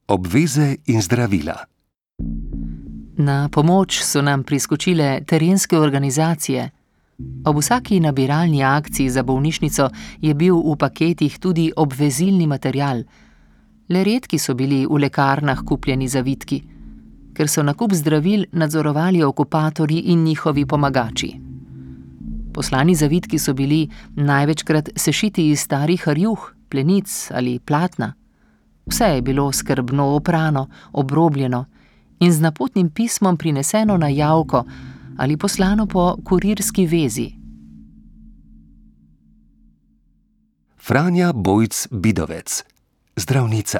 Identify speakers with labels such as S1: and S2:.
S1: Obveze in zdravila.
S2: Na pomoč so nam priskočile terenske organizacije. Ob vsaki nabiralni akciji za bolnišnico je bil v paketih tudi obvezilni material. Le redki so bili v lekarnah kupljeni zavitki, ker so nakup zdravil nadzorovali okupatorji in njihovi pomagači. Poslani zavitki so bili največkrat sešiti iz starih rjuh, plenic ali platna. Vse je bilo skrbno oprano, obrobljeno in z napotnim pismom prineseno na javko ali poslano po kurirski vezi.
S1: Franja Bojc Bidovec, zdravnica.